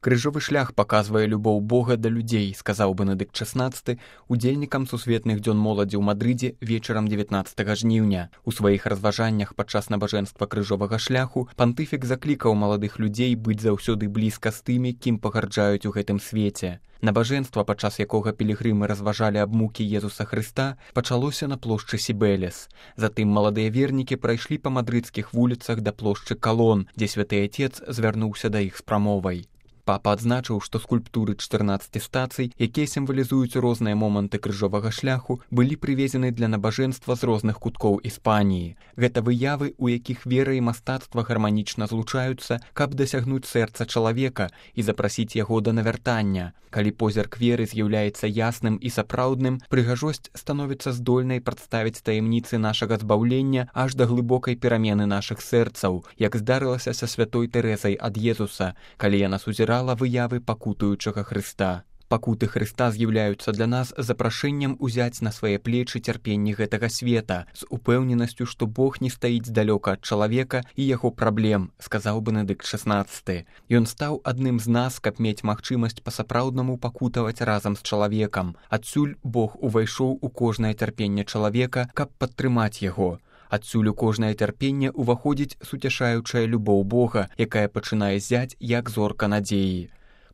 Крыжовы шлях паказвае любоў Бога да людзей, сказаў Бенедыкт XVI удзельнікам сусветных дзён моладзі ў Мадрыдзе вечарам 19 жніўня. У сваіх разважаннях падчас набажэнства крыжовага шляху пантыфік заклікаў маладых людзей быць заўсёды блізка з тымі, кім пагарджаюць у гэтым свеце. Набажэнства, падчас якога пілігрымы разважалі аб мукі Езуса Хрыста, пачалося на плошчы Сібелес. Затым маладыя вернікі прайшлі па мадрыдскіх вуліцах да плошчы Калон, дзе святы Атец звярнуўся да іх з прамовай. Папа адзначыў, што скульптуры 14 стацый, якія сімвалізуюць розныя моманты крыжовага шляху, былі прывезены для набажэнства з розных куткоў Іспаніі. Гэта выявы, у якіх вера і мастацтва гарманічна злучаюцца, каб дасягнуць сэрца чалавека і запрасіць яго да навяртання. Калі позірк веры з'яўляецца ясным і сапраўдным, прыгажосць становіцца здольнай прадставіць таямніцы нашага збаўлення аж да глыбокай перамены нашых сэрцаў, як здарылася са святой Тэрэзай ад Езуса, калі яна сузірала выявы пакутуючага Хрыста. Пакуты Хрыста з'яўляюцца для нас запрашэннем узяць на свае плечы цярпенні гэтага света, з упэўненасцю, што Бог не стаіць далёка ад чалавека і яго праблем, сказаў Бенедыкт XVI. Ён стаў адным з нас, каб мець магчымасць па-сапраўднаму пакутаваць разам з чалавекам. Адсюль Бог увайшоў у кожнае цярпенне чалавека, каб падтрымаць яго. Адсюль у кожнае цярпенне ўваходзіць суцяшаючая любоў Бога, якая пачынае зяць, як зорка надзеі.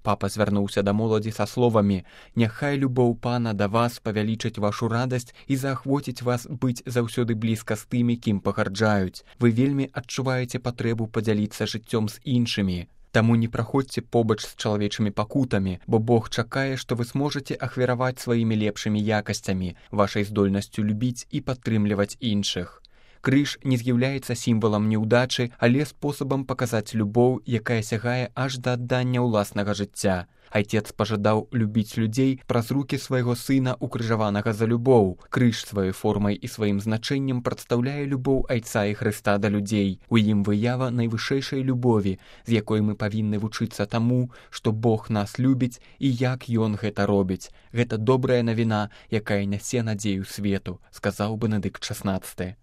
Папа звярнуўся да моладзі са словамі: «Няхай любоў Пана да вас павялічыць вашу радасць і заахвоціць вас быць заўсёды блізка з тымі, кім пагарджаюць. Вы вельмі адчуваеце патрэбу падзяліцца жыццём з іншымі. Таму не праходзьце побач з чалавечымі пакутамі, бо Бог чакае, што вы зможаце ахвяраваць сваімі лепшымі якасцямі, вашай здольнасцю любіць і падтрымліваць іншых». Крыж не з'яўляецца сімвалам неўдачы, але спосабам паказаць любоў, якая сягае аж да аддання ўласнага жыцця. Айцец пажадаў любіць людзей праз рукі свайго сына, укрыжаванага за любоў. Крыж сваёй формай і сваім значэннем прадстаўляе любоў Айца і Хрыста да людзей. У ім выява найвышэйшай любові, з якой мы павінны вучыцца таму, што Бог нас любіць і як Ён гэта робіць. Гэта добрая навіна, якая нясе надзею свету, сказаў Бенедыкт XVI.